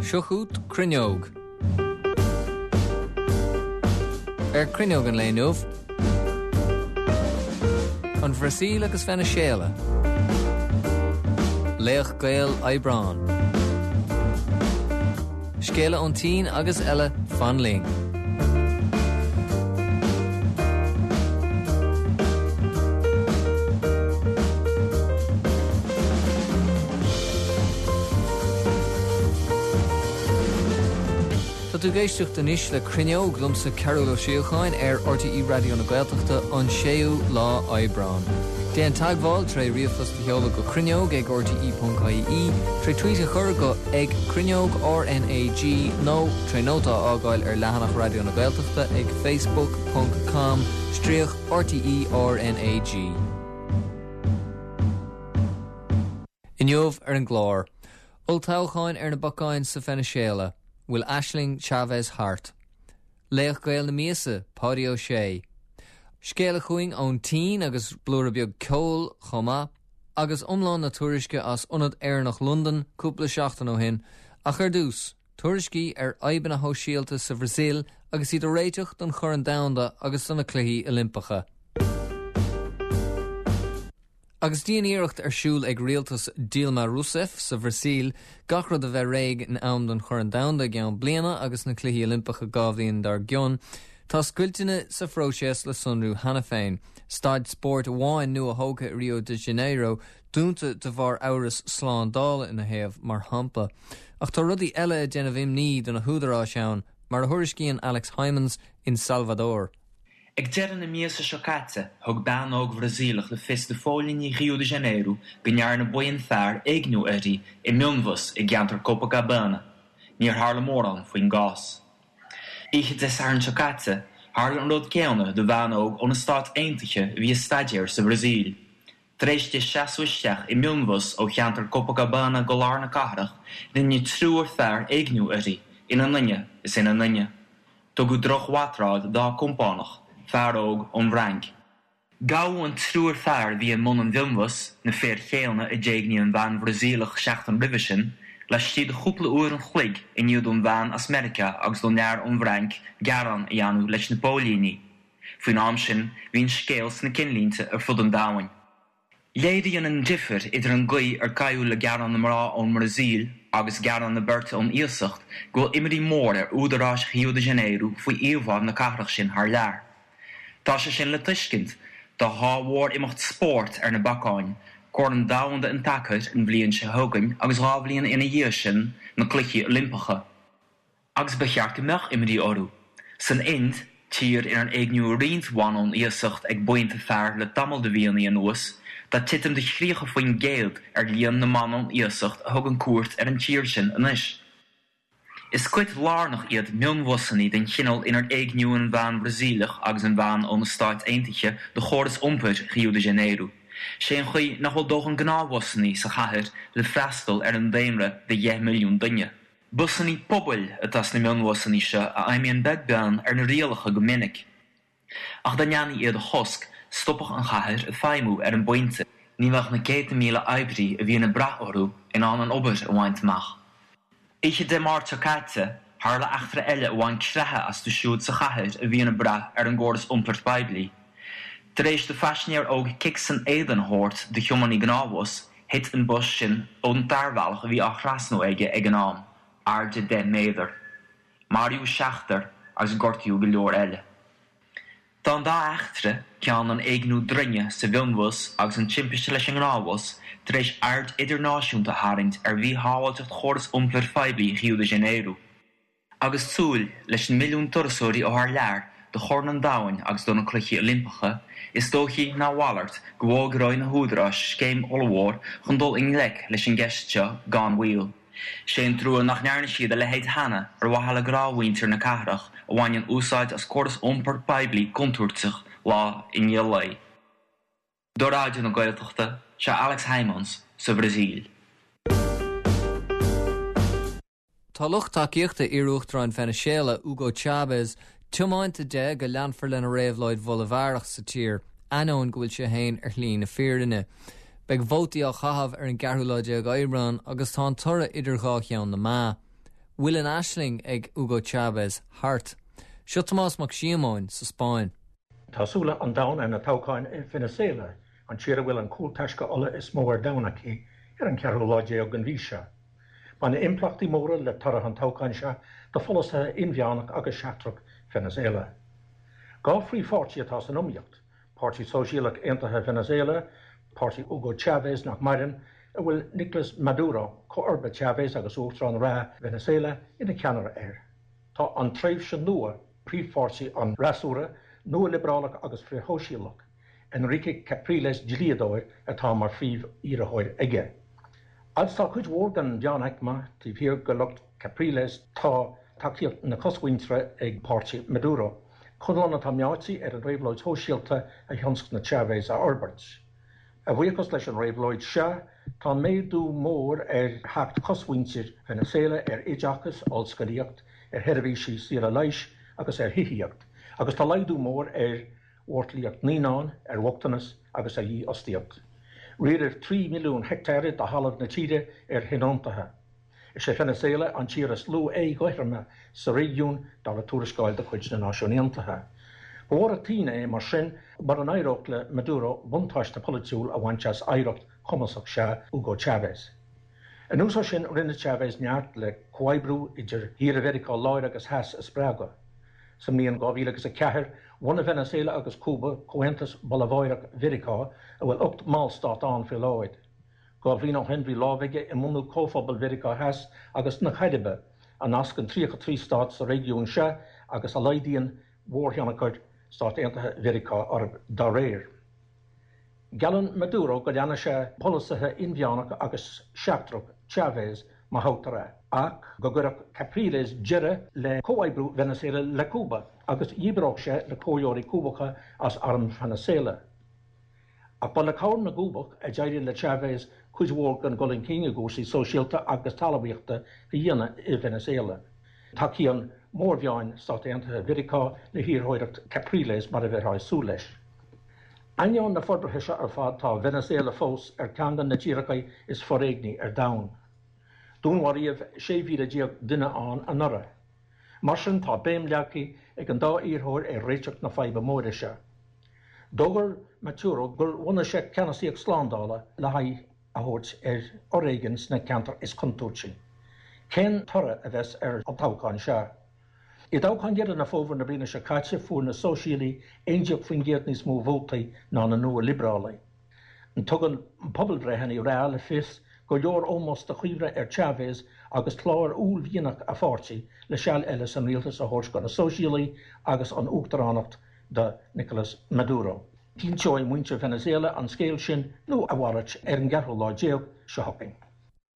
Seo chugat Cruinneog. Ar Cruinneog an lae inniu, An Bhrasaíl agus Veiniséala. Laoch Gael Aibreán. Scéala ón tSín agus eile, fan linn. Tá tú ag éisteacht anois le Cruinneog liomsa Cearbhall Ó Síocháin ar RTÉ Raidió na Gaeltachta an 6ú lá Aibreán. Déan teagmháil tré ríomhphost a sheoladh go cruinneog ag rte.ie, tré tweet a chur go ag cruinneog RnaG nó tré nóta a fhágáil ar leathanach Raidió na Gaeltachta ag facebook ponc com stríoc RTÉ RnaG. Inniu ar an gclár, Olltoghcháin ar na bacáin sa Veiniséala, bhfuil aisling Chavez thart? Laoch Gael na míosa, Páidí Ó Sé. Scéala chugainn ón tSín agus blúire beag ceoil chomh maith, agus iomlán na tuairisce as Ionad Éireannach Londan cúpla seachtain ó shin, ach ar dtús, tuairiscí ar fhadhbanna shóisialta sa Bhrasaíl agus iad ag réiteach don Chorn Domhanda agus do na Cluichí Oilimpeacha. Agus dian-iarracht ar siúl ag rialtas Dilma Rousseff sa Bhrasaíl gach rud a bheith réidh in am don Chorn Domhanda i gceann bliana agus na Cluichí Oilimpeacha 2 bhliain dár gcionn, tá scoilteanna sa phróiseas le sonrú cheana féin. Staid spóirt amháin nua-thógtha i Rio de Janeiro dúnta de bharr amhras slándála ina thaobh, mar shampla. Ach tá rudaí eile ag déanamh imní do na húdaráis ann, mar a thuairiscíonn Alex Hijmans in Salvador. Ag deireadh na míosa seo caite, thug bean óg Bhrasaíleach le fios do phóilíní Rio de Janeiro go ndearna buíon fear éigniú uirthi i mionbhus i gceantar Copacabana. Níor tharla mórán faoin gcás. Oíche Dé Sathairn seo caite, tharla an rud céanna do bhean óg ó na Stáit Aontaithe a bhí ag staidéar sa Bhrasaíl. Tar éis di seasamh isteach i mionbhus ó cheantar Copacabana go lár na cathrach, rinne triúr fear éigniú uirthi, ina nduine is ina nduine. Tugadh drochbhatráil dá compánach, fear óg ón bhFrainc. Gabhadh an triúr fear a bhí i mbun an mhionbhus, na fir chéanna a d'éignigh an bhean Bhrasaíleach seachtain roimhe sin, laistigh de chúpla uair an chloig i ndiaidh don bhean as Meiriceá agus don fhear ón bhFrainc gearán a dhéanamh leis na póilíní. Faoin am sin, bhí an scéal sna cinnlínte ar fud an domhain. Léiríonn an difear idir an gcaoi ar caitheadh le gearán na mná ón mBrasaíl agus gearán na beirte ón iasacht go bhfuil imní mhór ar údaráis Rio de Janeiro faoi íomhá na cathrach sin thar lear. Tá sé sin le tuiscint, tá dhá mhór-imeacht spóirt ar na bacáin, Corn Domhanda an tSacair an bhliain seo chugainn agus 2 bhliain ina dhiaidh sin, na Cluichí Oilimpeacha. Agus ba cheart go mbeadh imní orthu. San Ind, tír inar éigníodh roinnt ban ón iasacht ag buíonta fear le tamall de mhíonna anuas, tá titim de 30% ar líon na mban ón iasacht a thugann cuairt ar an tír sin anois. Is cuid lárnach iad mionbhusanna den chineál inar éigníodh an bhean Bhrasaíleach agus an bhean ó na Stáit Aontaithe do chóras iompair Rio de Janeiro. Sé an chaoi nach bhfuil dóthain gnáthbhusanna sa chathair le freastal ar an daonra de dheich milliún duine. Busanna pobail atá sna mionbhusanna seo a fheidhmíonn beag beann ar na rialacha go minic. Ach dá ndéanfaí iad a chosc, stopfadh an chathair ag feidhmiú ar an bpointe. Ní bheadh na céadta míle oibrí a bhíonn ag brath orthu in ann an obair a bhaint amach. Oíche Dé Máirt seo caite, tharla eachtra eile a bhain creathadh astu siúd sa chathair a bhíonn ag brath ar an gcóras iompair poiblí. Tar éis do phaisinéir óg cic san éadan a thabhairt do thiománaí gnáthbhus, Thit an bus sin ón tarbhealach a bhí á thrasnú aige ag an am, airde 10 méadar. Maraíodh seachtar agus gortaíodh go leor eile. Tá an dá eachtra, ceann an éigniú droinne sa mhionbhus agus an timpiste leis an ngnáthbhus, tar éis aird idirnáisiúnta a tharraingt ar mhíshábháilteacht chóras iompair phoiblí Rio de Janeiro. Agus súil leis na milliúin turasóirí ó thar lear do Chorn an Domhain agus do na Cluichí Oilimpeacha, is dóichí ná a mhalairt go bhfógróidh na húdaráis scéim ollmhór chun dul i ngleic leis an gceist seo gan mhoill. Sé an trua nach ndearna siad a leithéid cheana ar mhaithe le gnáthmhuintir na cathrach a bhaineann úsáid as córas iompair poiblí contúirteach lá i ndiaidh lae. Do Raidió na Gaeltachta, seo Alex Hijmans sa Bhrasaíl. Tá lucht tacaíochta iar-uachtarán Veiniséala, Hugo Chávez, tiomáinte de go leanfar lena réabhlóid Bholabharach sa tír, ainneoin go bhfuil sé féin ar shlí na fírinne. Beidh vótaí á chaitheamh ar an gceathrú lá déag Aibreán agus tá an toradh idir dhá cheann na meá. Bhfuil an aisling ag Hugo Chavez thart? Seo Tomás Mac Síomóin sa Spáinn. Tá súile an domhain ar na toghcháin i Venezuela, an tír a bhfuil an cúltaisce ola is mó ar domhan aici, ar an cheathrú lá déag den mhí seo. Bainfidh impleachtaí móra le toradh an toghcháin seo do pholasaithe inmheánach agus seachtrach Venezuela. 2 phríomhpháirtí atá san iomaíocht, Páirtí Sóisialach Aontaithe Venezuela, páirtí Hugo Chávez nach maireann, a bhfuil Nicolas Maduro, comharba Chávez agus uachtarán reatha Venezuela, ina cheannaire air. Tá an Tréimhse Nua, príomhpháirtí an fhreasúra, nua-liobrálach agus frithshóisialach, Henrique Capriles, dlíodóir, atá mar phríomh-iarrthóir aige. Agus tá cuid mhór den mheánaicme taobh thiar de lucht Capriles, tá tacaíocht na cosmhuintire ag páirtí Maduro, conlán atá meáite ar an réabhlóid shóisialta a thionscnaigh Chávez a fhorbairt. A bhuíochas leis an réabhlóid seo, tá méadú mór ar theacht chosmhuintir Venezuela ar oideachas, ollscolaíocht, ar sheirbhísí saora leighis agus ar thithíocht, agus tá laghdú mór ar mhortlaíocht naíonán, ar bhochtanas agus ar dhífhostaíocht. Riaradh 3 mhilliún heicteáir de thalamh na tíre ar thionóntaithe. Is é Venezuela an tír is lú éagothroime sa réigiún, dar le tuarascáil de chuid na Náisiún Aontaithe. Ba mhór an t-ionadh é, mar sin, mura n-éireodh le Maduro buntáiste polaitiúil a bhaint as oidhreacht chumasach seo Hugo Chávez. Anuas air sin, rinne Chávez neart le comhoibriú idir thíortha Mheiriceá Láir agus Theas a spreagadh. Sa mbliain 2004, bhunaigh Venezuela agus Cúba Comhaontas Bolaváireach Mheiriceá, a bhfuil 8 mballstát ann faoi láthair. 2 bhliain ó shin bhí lámh aige i mbunú Comhphobal Mheiriceá Theas agus na Cairibe, a nascann 33 stát sa réigiún seo agus a laghdaíonn mhórthionchar Stáit Aontaithe Mheiriceá orthu dá réir. Geallann Maduro go leanfaidh sé polasaithe inmheánach agus seachtrach Chávez má thoghtar é, ach go gcuirfeadh Capriles deireadh le comhoibriú Venezuela le Cúba agus dhíbreodh sé na comhairleoirí Cúbacha as arm Venezuela. Ach ba le cabhair na gCúbach a d'éirigh le Chávez cuid mhór den dhul chun cinn i gcúrsaí sóisialta agus talmhaíochta a dhéanamh i Venezuela. Tacaíonn mórmheáin Stáit Aontaithe Mheiriceá le hiarrthóireacht Capriles mar a bheifeá ag súil leis. Ainneoin na forbartha seo ar fad tá Venezuela fós ar ceann de na tíortha is foréigní ar domhan. Dúnmharaíodh 16,000 duine ann anuraidh. Mar sin tá béim leagtha ag an dá iarrthóir ar réiteach na faidhbe móire seo. D'fhógair Maduro gur bhunaigh sé ceannasaíocht slándála le haghaidh a thabhairt ar fhoréigean sna ceantair is contúirtí. Cén toradh a bheas ar an toghchán seo? I dtoghchán Dheireadh na Fómhair na bliana seo caite fuair na Sóisialaigh 11% níos mó vótaí ná na Nua-Liobrálaigh. Tugann pobalbhreitheanna reatha le fios gur leor ómós do chuimhne ar Chávez agus clár uaillmhianach a pháirtí le seal eile san rialtas a thabhairt do na Sóisialaigh agus an uachtaránacht do Nicolas Maduro. Cinnteoidh muintir Venezuela an scéal sin nó a mhalairt ar an gceathrú lá déag seo chugainn.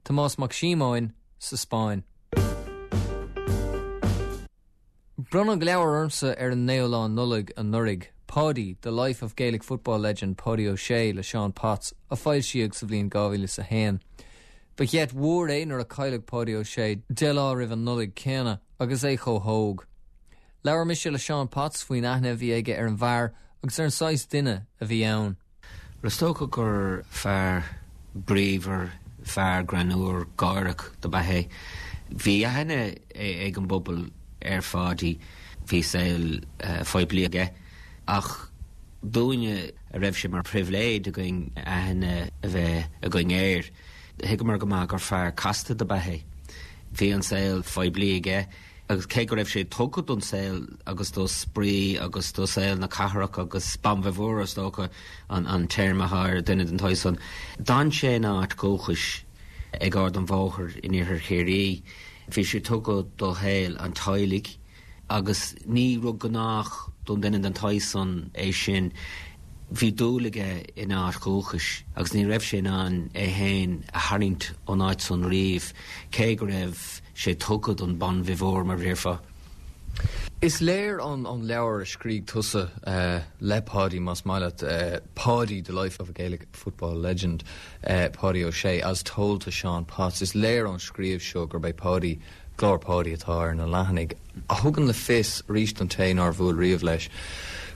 Tomás Mac Síomóin sa Spáinn. Bronnadh leabhar ormsa ar an naoú lá Nollaig anuraidh, Paudie, The Life of Gaelic Football Legend Paudie O'Shea le Seán Potts, a foilsíodh sa bhliain 2001. Ba gheit mhór é nuair a cailleadh Paudie O'Shea 10 lá roimh an Nollaig céanna agus é chomh hóg. Labhair mise le Seán Potts faoin aithne a bhí aige ar an bhfear agus ar an saghas duine a bhí ann. Is dócha gur fear bríomhar, fear greannmhar, gáireach dob ea é. Bhí aithne ag an bpobal ar Pháidí, bhí saol poiblí aige, ach dúinne a raibh sé mar phribhléid againn aithne a bheith againn air, thuigeamar go maith gur fear casta dob ea é. Bhí an saol poiblí aige. Agus cé go raibh sé tugtha don saol agus do spraoi agus do saol na cathrach agus bon viveur is dócha an téarma atá ar dhuine den tsaghas san, d'fhan sé ina áit dhúchais ag Ard an Bhóthair in iarthar Chiarraí. Bhí sé tugtha do shaol an teaghlaigh agus ní rud gnách don duine den tsaghas san é sin. Bhí dúil aige ina áit dhúchais agus ní raibh sé in ann é féin a tharraingt ón áit san riamh, cé go raibh sé tugtha don bon viveur, mar a déarfá. Is léir ón leabhar a scrígh tusa le Paudie, más maith leat, Paudie, The Life of a Gaelic Football Legend, Paudie O'Shea, as told to Sean Potts, is léir ón scríobh seo gurb é Paudie, glór Paudie atá ar na leathanaigh, a thugann le fios, arís don té nár bhuail riamh leis,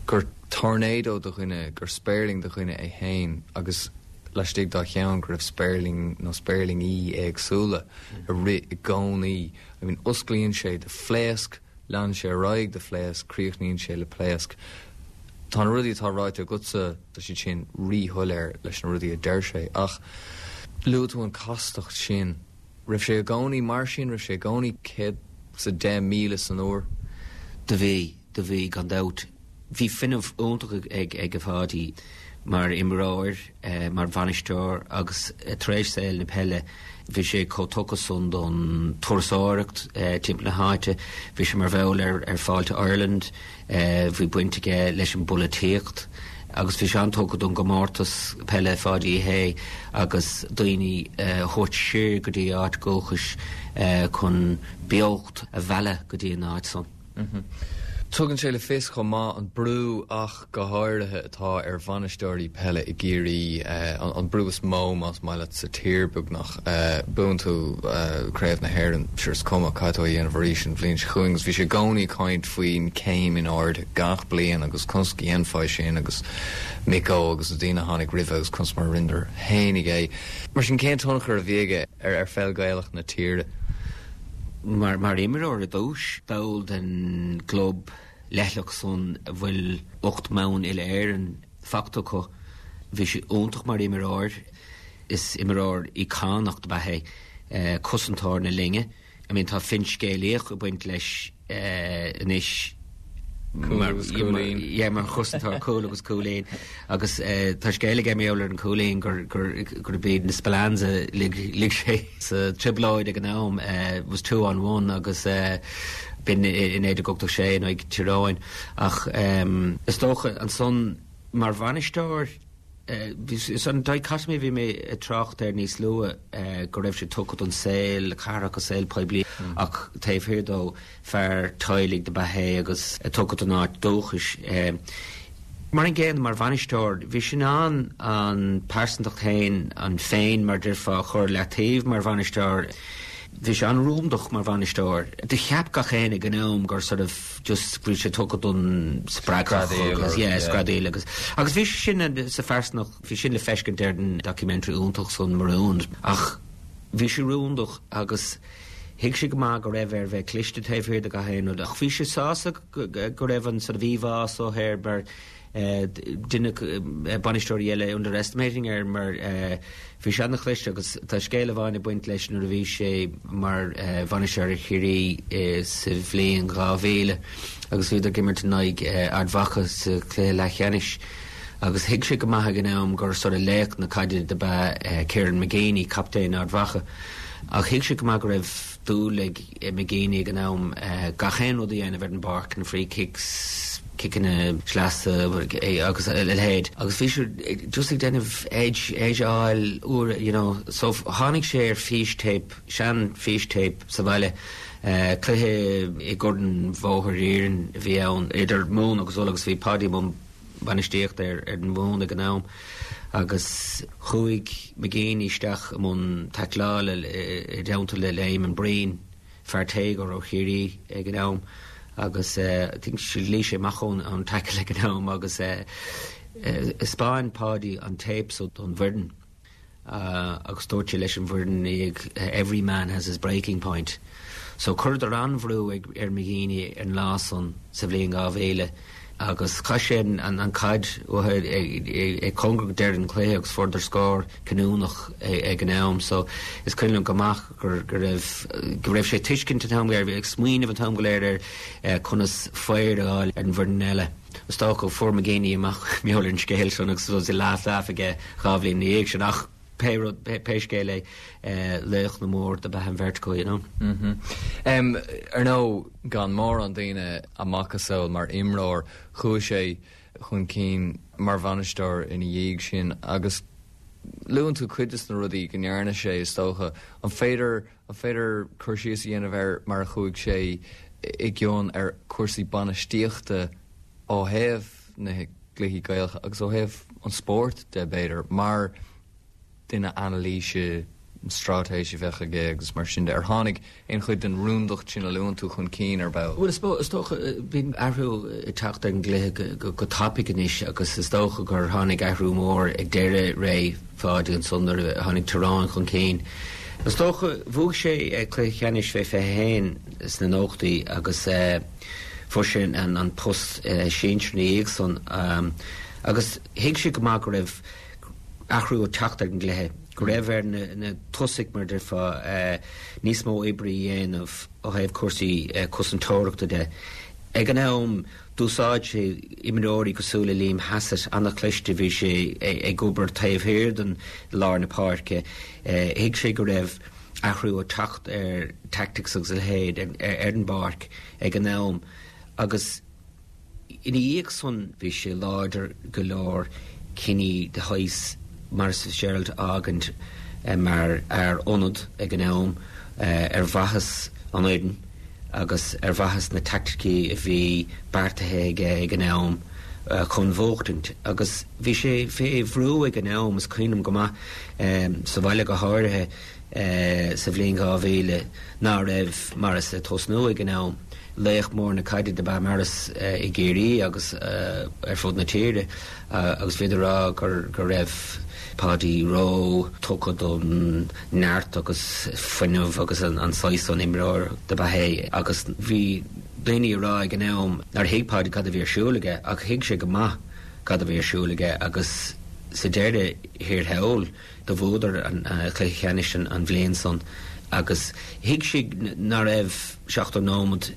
gur tornado de dhuine, gur spéirling de dhuine é féin agus. laistigh dá cheann go raibh spéirling nó spéirlingí éagsúla ag rith i gcónaí. I mean, osclaíonn sé de phléasc, leanann sé ar aghaidh de phléasc, críochnaíonn sé le pléasc. Tá na rudaí atá ráite agatsa, tá siad sin ríshoiléir leis na rudaí a deir sé, ach luaigh tú an chastacht sin. Raibh sé i gcónaí mar sin? Raibh sé i gcónaí 110,000 san uair? Do bhí, do bhí, gan dabht. Bhí fuinneamh iontach ag Pháidí mar imreoir, mar bhainisteoir agus tar éis saol na peile bhí sé chomh tugtha san don turasóireacht timpeall na háite, bhí sé mar bhall ar Fáilte Ireland, bhí baint aige leis an bpolaitíocht agus bhí sé an-tugtha don gcomórtas peile Pháidí Uí Shé agus daoine a thabhairt siar go dtí a áit dhúchais chun beocht a mhealladh go dtí an áit san. Tugann sé le fios chomh maith an brú ach go háirithe atá ar bhainisteoirí peile i gCiarraí, an brú is mó más maith leat sa tír beagnach. Buann tú Craobh na hÉireann, sure is cuma, caithfidh tú é a dhéanamh arís an bhliain seo chugainn agus bhí sé i gcónaí ag caint faoin céim in airde gach bliain agus conas go dhéanfá é sin agus Micko agus na daoine a tháinig roimhe agus conas mar a rinneadar fhéinig é. Mar sin cén tionchar a bhí aige ar pheil Ghaelach na tíre? Mar imreoir i dtús, ball den gclub leithleach san a bhfuil 8 mbonn uile-Éireann fachta acu, bhí sé iontach mar imreoir. Is imreoir íocónach ab ea é, cosantóir na linne. I mean tá finscéalaíocht ag baint leis anois. Cúl agus cúilín. Yeah, mar chosantóir cúl agus cúilín. Agus tá scéal aige mar gheall ar an cúilín gur gurb iad na Spillanes a lig sé sa trioblóid ag an am. It was two on one agus b'in i 1986 in aghaidh Tír Eoghain. Ach is dócha ansan mar bhainisteoir, Is an dichotomy a bhí mé ag trácht air níos luaithe, go raibh sé tugtha don saol cathrach, an saol poiblí, ach taobh thiar dó, fear teaghlaigh dob ea é agus tugtha don áit dúchais. Mar an gcéanna, mar bhainisteoir, bhí sé in ann an pearsantacht féin, an féin mar déarfá, a chur leataobh mar bhainisteoir. Bhí sé an-rúndach mar bhainisteoir. Do cheap gach éinne ag an am gur sort of, just bhí sé tugtha don spreagthach agus yeah screadaíl agus agus bhí sé sin sa phearsanacht bhí sin le feiscint ar an documentary iontach san Marooned ach bhí sé rúndach agus thuig sé go maith go raibh air bheith cliste taobh thiar de gach aon rud ach bhí sé sásta go raibh an sort of íomhá so air mar Deineadh bainisteoirí eile underestimating air mar bhí sé an-chliste agus tá scéal amháin ag baint leis nuair a bhí sé mar bhainisteoir ar Chiarraí sa bhliain 2000 agus bhíodar ag imirt in aghaidh Ard Mhacha sa chluiche leathcheannais agus thuig sé go maith ag an am gur sort of laoch na caide dob ea Kieran McGeeney, captaen Ard Mhacha ach thuig sé go maith go raibh dúil ag McGeeney ag an am gach aon rud a dhéanamh ar an bpáirc, na free kicks, ciceanna sleasa agus a leithéid agus bhí sé just ag déanamh edge, edge a fháil uair, you know. So tháinig sé ar fístéip, sean fístéip sa bhaile, cluiche i gCorn Bhóthar Iarainn a bhí ann idir Mumhan agus Ulaidh agus bhí Páidí i mbun bainistíochta ar an Mhumhain ag an am agus chuaigh McGeeney isteach i mbun taicleála i dteannta le Eamonn Breen, fear téagartha ó Chiarraí ag an am agus I think luigh sé amach ón tackle ag an am agus thaispeáin Páidí an téip so don bhfoireann. Agus dúirt sé leis an bhfoireann ina dhiaidh, every man has his breaking point. So chuireadar an-bhrú ar McGeeney an lá san sa bhliain 2000 agus chaith sé an chaid uathu ag cóngar go deireadh an chluiche agus fuaireadar scór cinniúnach ag an am. So is cuimhin liom go maith go raibh go raibh sé ag tuiscint an t-am go léir, ag smaoineamh an t-am go léir ar conas faor a fháil ar an bhfoireann eile. Is dócha fuair McGeeney amach mar gheall ar an scéal sin agus bhí laugh laugh aige dhá bhliain ina dhiaidh sin ach pé rud, pé scéal é, laoch na mór dob ea an bheirt acu, you know. Ar ndóigh, gan mórán daoine a mhacasamhail mar imreoir, chuaigh sé chun cinn mar bhainisteoir ina dhiaidh sin agus luann tú cuid de na rudaí go ndearna sé, is dócha. An féidir An féidir cur síos a dhéanamh ar mar a chuaigh sé i gcion ar chúrsaí bainistíochta ó thaobh na gcluichí Gaelacha agus ó thaobh an spóirt de, b'fhéidir, mar duine anailíse straitéis a bheadh aige agus mar sin de. Ar tháinig aon chuid den rúndacht sin a luann tú chun cinn ar ball? Bhuel, is dócha, bíonn athrú ag teacht ar an gcluiche go tapaidh anois agus is dócha gur tháinig athrú mór ag deireadh ré Pháidí ansan nuair a tháinig Tyrone chun cinn. Is dócha, bhuaigh sé cluiche ceannais fé 21 sna nóchadaí agus fuair sé an post sinsir ina dhiaidh san agus thuig sé go maith go raibh athrú ag teacht ar an gcluiche, go raibh ar na tosaigh, mar a déarfá, níos mó oibre a dhéanamh ó thaobh cúrsaí cosantóireachta de. Ag an am, d'úsáid sé imreoirí cosúil le Liam Hassett, an-chliste, bhí sé ag obair taobh thiar den lár na páirce. Thuig sé go raibh athrú ag teacht ar tactics agus a leithéid ar an bpáirc ag an am agus, Ina dhiaidh san bhí sé láidir go leor cinní de shaghas Maurice Fitzgerald a fhágaint mar fhear ionad ag an am ar mhaitheas an fhoireann agus ar mhaitheas na taicticí a bhí beartaithe aige ag an am chun bhuachtaint. Agus bhí sé fé bhrú ag an am, is cuimhin liom go maith, sa bhaile go háirithe, sa bhliain 2000 ná raibh Maurice ag tosnú ag an am. Laoch mór na caide dob ea Maurice i gCiarraí agus ar fud na tíre agus bhíodar ag rá go raibh Páidí ró tugtha don neart agus fuinneamh agus an saghas san imreoir dob ea é agus bhí daoine ag rá ag an am nár thuig Páidí cad a bhí ar siúl aige ach thuig sé go maith cad a bhí ar siúl aige agus sa deireadh thiar thall Do bhuadar an cluiche ceannais an bhliain san agus thuig siad ná raibh 70 nóimead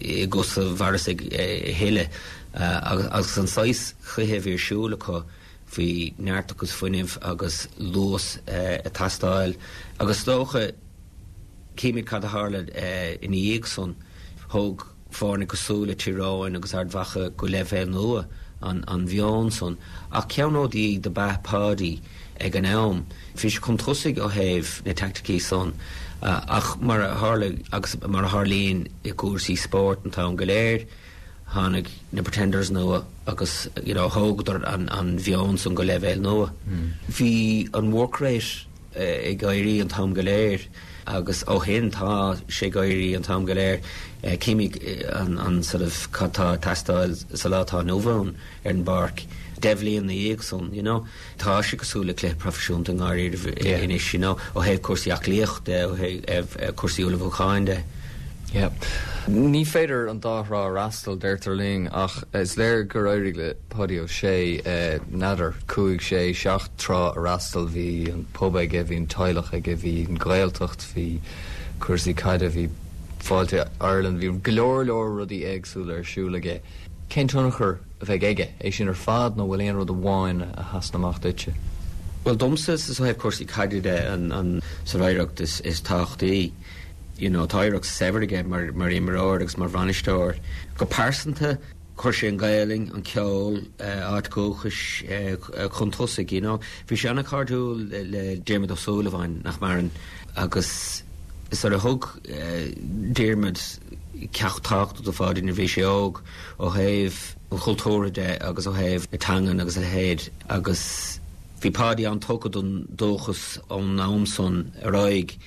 i gcosa Mhaurice a thuilleadh agus an saghas cluiche a bhí ar siúl acu bhí neart agus fuinneamh agus luas ag teastáil agus is dócha címid cad a tharla ina dhiaidh san. Thóg foirne cosúil le Tír Eoghain agus Ard Mhacha go leibhéal nua an mheon san. Ach ceannródaí do b'ea Páidí ag an am. Bhí sé chun tosaigh ó thaobh na teaicticí san ach mar a tharla agus mar a tharlaíonn i gcúrsaí spóirt an t-am go léir, tháinig na pretenders nua agus you know thógadar an mheon san go leibhéal nua. Bhí an work rate ag éirí an t-am go léir agus ó shin tá sé ag éirí an t-am go léir. Címid an sort of cad tá ag teastáil sa lá atá inniu ann ar an bpáirc deich bhliain ina dhiaidh san, you know. Tá sé cosúil le cluiche proifisiúnta i ndáiríribh anois, you know, ó thaobh cúrsaí aclaíochta de, ó thaobh cúrsaí ullmhúcháin de. Yeah. Ní féidir an dá thrá a fhreastal, deirtear linn, ach is léir gur éirigh le Páidí Ó Sé, n'fheadar, cúig, sé, seacht trá a fhreastal. Bhí an pub aige, bhí an teaghlach aige, bhí an Ghaeltacht, bhí cúrsaí caide, bhí Fáilte Ireland, bhí go leor leor rudaí éagsúla ar siúl aige. Cén tionchar a bheidh aige? É sin ar fad nó bhfuil aon rud amháin a sheasann amach duitse? Bhuel, domsa, is ó thaobh cúrsaí caide de an sort of oidhreacht is tábhachtaí. You know, tá oidhreacht saibhir aige mar mar imreoir agus mar bhainisteoir. Go pearsanta, chuir sé an Ghaelainn, an ceol, áit dhúchais chun tosaigh, you know. Bhí sé an-chairdiúil le Diarmuid Ó Súilleabháin, nach maireann, agus sort of thug Diarmuid ceacht tábhachtach do Pháidí nuair a bhí sé óg ó thaobh an chultúrtha de agus ó thaobh na teangan agus a leithéid agus bhí Páidí an-tugtha don dúchas ón am san ar aghaidh.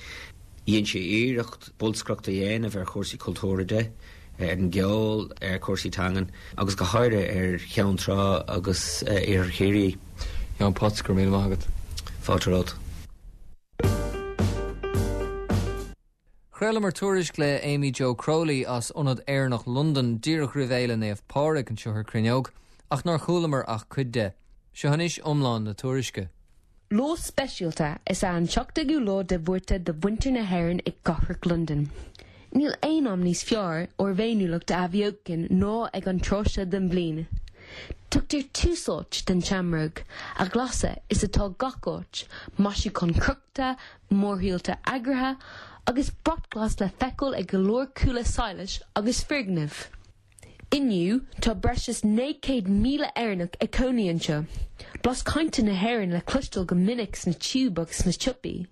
Dhein sé iarracht bolscaireacht a dhéanamh ar chúrsaí cultúrtha de, ar an gceol, ar chúrsaí teangan agus go háirithe ar Cheann Trá agus Iarthar Chiarraí. John Potts, go raibh míle maith agat. Fáilte romhat. Chraolamar tuairisc le Amy Jo Crowley as Ionad Éireannach Londan díreach roimh Fhéile Naomh Pádraig anseo ar Cruinneog, ach nár chualamar ach cuid de. Seo anois iomlán na tuairisce. Lá speisialta is ea an 17ú lá de Mhárta do mhuintir na hÉireann i gcathrach Londan. Níl aon am níos fearr ár bhféiniúlacht a athbheochan ná ag an tráth seo den bhliain. Tugtar tús áite don tseamróg, a ghlaise is atá gach áit, maisiúcháin crochta, mórshiúlta eagraithe, agus brat glas le feiceáil ag go leor cuaille solais agus foirgneamh. Inniu, tá breis is 900,000 Éireannach ag cónaí anseo. Blas cainte na hÉireann le cloisteáil go minic sna Tube agus sna siopaí.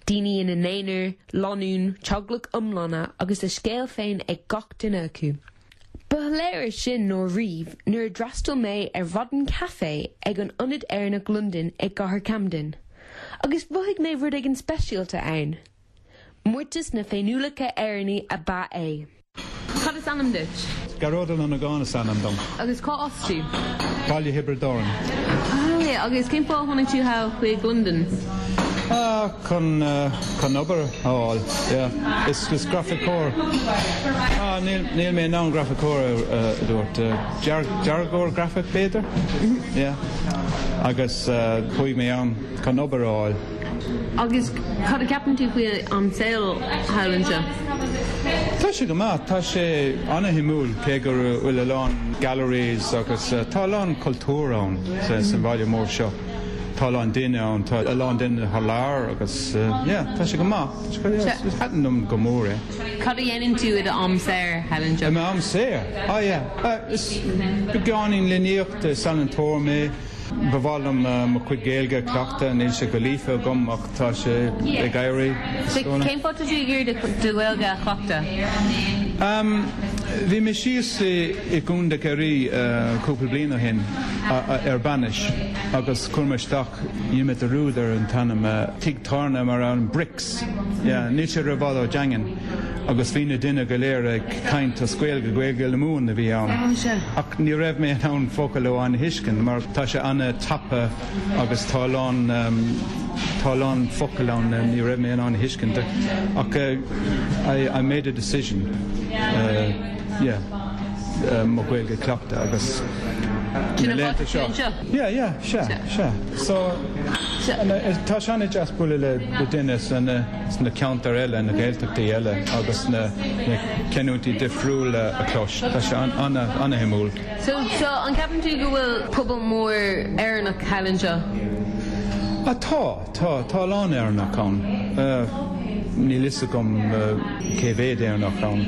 Daoine ina n-aonar, lánúin, teaghlaigh iomlána agus a scéal féin ag gach duine acu. Ba shoiléire sin ná riamh nuair a d'fhreastail mé ar mhaidin caife ag an Ionad Éireannach Londain i gcathair Camden. Agus mhothaigh mé rud éigin speisialta ann. Mórtas na féiniúlachta Éireannaí ab ea é. Cad is ainm duit? Gearóid Ó Longáin is ainm dom. Agus cá as tú? Baile Thiobraid Árann. Ah, agus cén fáth a tháinig tú thall chuig Londain? Ah, chun, chun obair a fháil, yeah. Is, is grafaiceoir, ah, níl, níl mé in ann grafaiceoir a dúirt, dearthóir grafaic b'fhéidir? Yeah. Agus chuaigh mé ann chun obair a fháil. Agus cad a cheapann tú faoi an saol thall anseo? Tá sé go maith. Tá sé ana-shuimiúil cé go bhfuil a lán galleries agus tá a lán cultúr ann sa bhaile mór seo. Tá a lán duine ann, tá a lán duine thar lear agus yeah, tá sé go maith. Thaitin liom go mór é. Cad a dhéanann tú i d'am saor thall anseo? I m'am saor? Ah yeah, is beagáinín líníochta, is ealaíontóir mé. Ba mhaith liom mo chuid Gaeilge a chleachtadh, níl sé go líofa agam ach tá sé ag éirí. Cén fáth tá tú ag iarraidh do Ghaeilge a chleachtadh? Bhí mé síos i gContae Chiarraí cúpla bliain ó shin ar bainis agus chuir mé isteach, dhein mé dearúd ar an t-ainm, tigh tábhairne mar an Bricks, yeah, níl sé rófhada ó Daingean agus bhí na duine go léir ag caint as Gaeilge, Gaeilge na Mumhan a bhí ann. Ach ní raibh mé in ann focal amháin a thuiscint mar tá sé ana-tapa agus tá a lán, tá a lán focal ann ní raibh mé in ann a thuiscint. Ach I, I made a decision, yeah, mo Ghaeilge a chleachtadh agus na laethanta seo. Yeah, yeah, sea, sea. So, tá sé ana-deas bualadh le duine sna ceantair eile, na Gaeltachtaí eile agus na canúintí difriúla a chlos. Tá sé ana-shuimiúil. So, so an gceapann tú go bhfuil pobal mór Éireannach thall anseo? Ah, tá, tá, tá a lán Éireannach ann. Níl fhios agam cé mhéad Éireannach ann,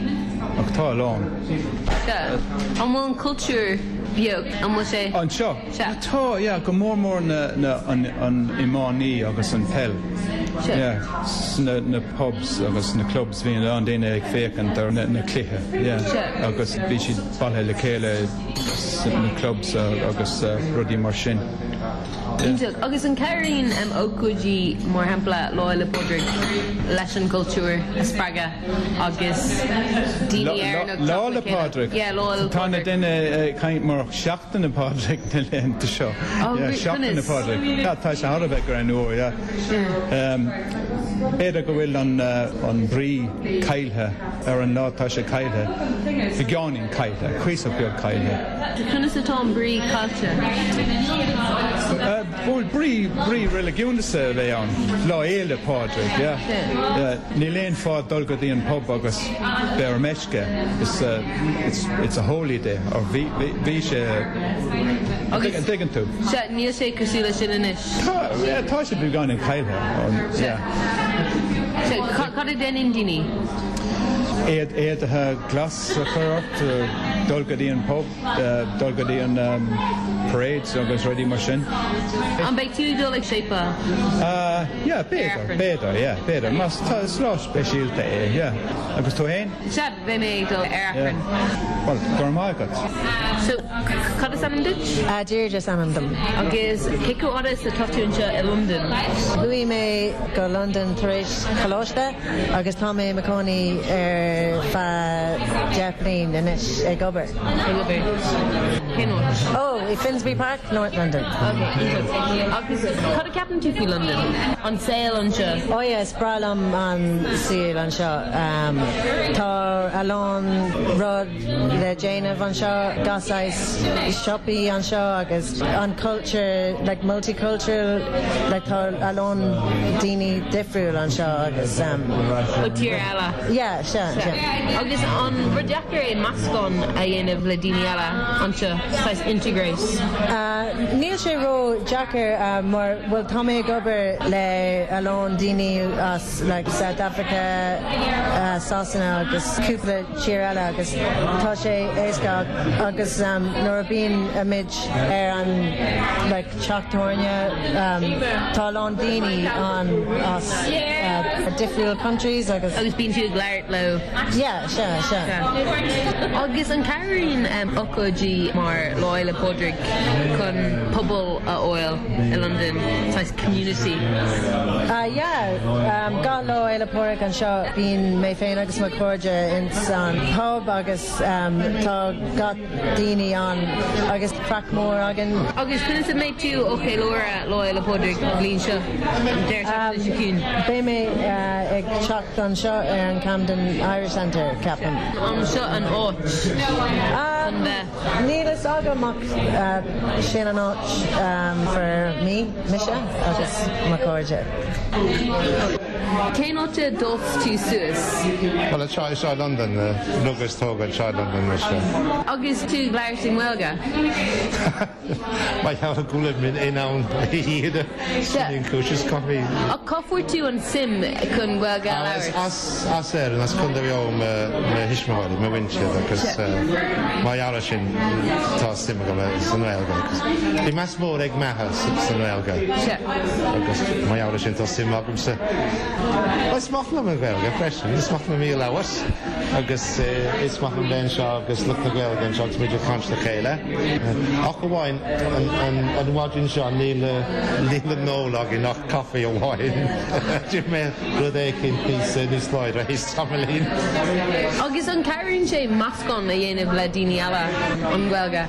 ach tá a lán. Sea. An bhfuil an cultúr beo? An bhfuil sé? Anseo? Sea. Tá, yeah, go mór mór na, na, an, an iománaí agus an peil. Sea. Yeah, sna, na pubs agus na clubs bhí a lán daoine ag féachaint ar na, na cluiche, yeah. Sea. Agus bhí siad bailithe le chéile sna clubs agus rudaí mar sin. Iontach. Agus an cabhraíonn ócáidí mar shampla Lá Fhéile Pádraig leis an gcultúr a spreagadh agus daoine Éireannach Lá teacht le 'le chéile? Pádraig. Yeah, Lá Fhéile Tá na Pádraig. daoine ag caint mar Seachtain na Pádraig na laethanta seo. Oh, Yeah, Seachtain na conas? Pádraig. Yeah, tá sé thar a bheith greannmhar, yeah. B'fhéidir go bhfuil an an brí caillte ar an lá, tá sé caillte, beagáinín caillte, cuíosach beag caillte. Conas atá an brí caillte? Bhuel, brí, brí reiligiúnach a bheith ann, Lá Fhéile Pádraig, yeah. Yeah, níl aon fáth dul go dtí an pub agus bheith ar meisce, it's a, it's, it's a holy day, or bhí, bhí, bhí sé, Agus- an dtuigeann tú? Sea, níl sé cosúil leis sin anois. Tá, yeah, tá sé beagáinín caillte, yeah. Sea, cad a dhéanann daoine? Éad, éadaithe glas a chur ort, dul go dtí an pub. dul go dtí an parades agus rudaí mar sin. An mbeidh tú ag dul ag séipéal? Yeah, b'fhéidir, b'fhéidir, yeah, b'fhéidir. Mar tá, is lá speisialta é, yeah. Agus tú fhéin? Sea, beidh mé ag dul ar Aifreann. Bhuel, go raibh maith agat. So, cad is ainm duit? Deirdre is ainm dom. Agus cé chomh fada is atá tú anseo i Londain? Chuaigh mé go Londain tar éis coláiste. Agus tá mé i mo chónaí ar feadh 10 bliain anois ag obair. Ag obair. Cén áit? Oh, i Finsbury Park, North London. Ok, iontach. Agus cad a ceapann tú faoi Londain? An saol anseo? Oh yeah, is breá liom an saol anseo. Tá a lán rud le déanamh anseo, gach saghas siopaí anseo agus an culture like multicultural like tá a lán daoine difriúil anseo agus um Ó tír eile. yeah sea sea. Agus an rud deacair é meascán a dhéanamh le daoine eile anseo, saghas integrate? Níl sé ró deacair mar bhuel tá mé ag obair le a lán daoine as like South Africa, Sasana agus cúpla tír eile agus tá sé éasca agus nuair a bíonn muid ar an like teach tábhairne tá a lán daoine ann as difriúil countries agus. Agus bíonn tú ag labhairt leo. Yeah, sea, sea. Agus an cabhraíonn ócáidí mar Lá Fhéile Pádraig chun pobal a fháil i Londain, saghas community? Yeah, gach Lá Fhéile Pádraig anseo bíonn mé féin agus mo chairde ins an pub agus tá gach daoine ann agus craic mór againn. Agus conas a mbeidh tú á cheiliúradh Lá Fhéile Pádraig an bhliain seo, an deireadh seachtaine seo chugainn? Beidh mé ag teacht anseo ar an Camden Irish Centre, ceapaim. An seo an áit chun bheith? Níl fhios agam ach sin an áit for me, mise agus mo chairde. Cén áit a d'fhás tú suas? Bhuel, anseo anseo i Londain, rugadh is tógadh anseo i Londain mise. Agus tú ag labhairt i nGaeilge? Mar gheall go bhfuilim in ann iad a sin an chúis is caithfidh. Ach cá fuair tú an suim chun Gaeilge a labhairt? As as Éirinn, as Contae Mhaigh Eo mo thuismitheoirí, mo mhuintir agus mar gheall ar sin tá suim agam sa nGaeilge agus bhí meas mór ag m'athair sa nGaeilge agus mar gheall ar sin tá suim agamsa. Is maith liom an Ghaeilge freisin, is maith liom í a labhairt agus is maith liom bheith anseo agus lucht na Gaeilge anseo agus muid ag caint le chéile. Ach amháin an mhaidin seo níl le n-ól againn ach caife amháin. D'ith mé rud éicint níos níos láidre théis tamaillín. Agus an cabhraíonn sé meascán a dhéanamh le daoine eile an Ghaeilge?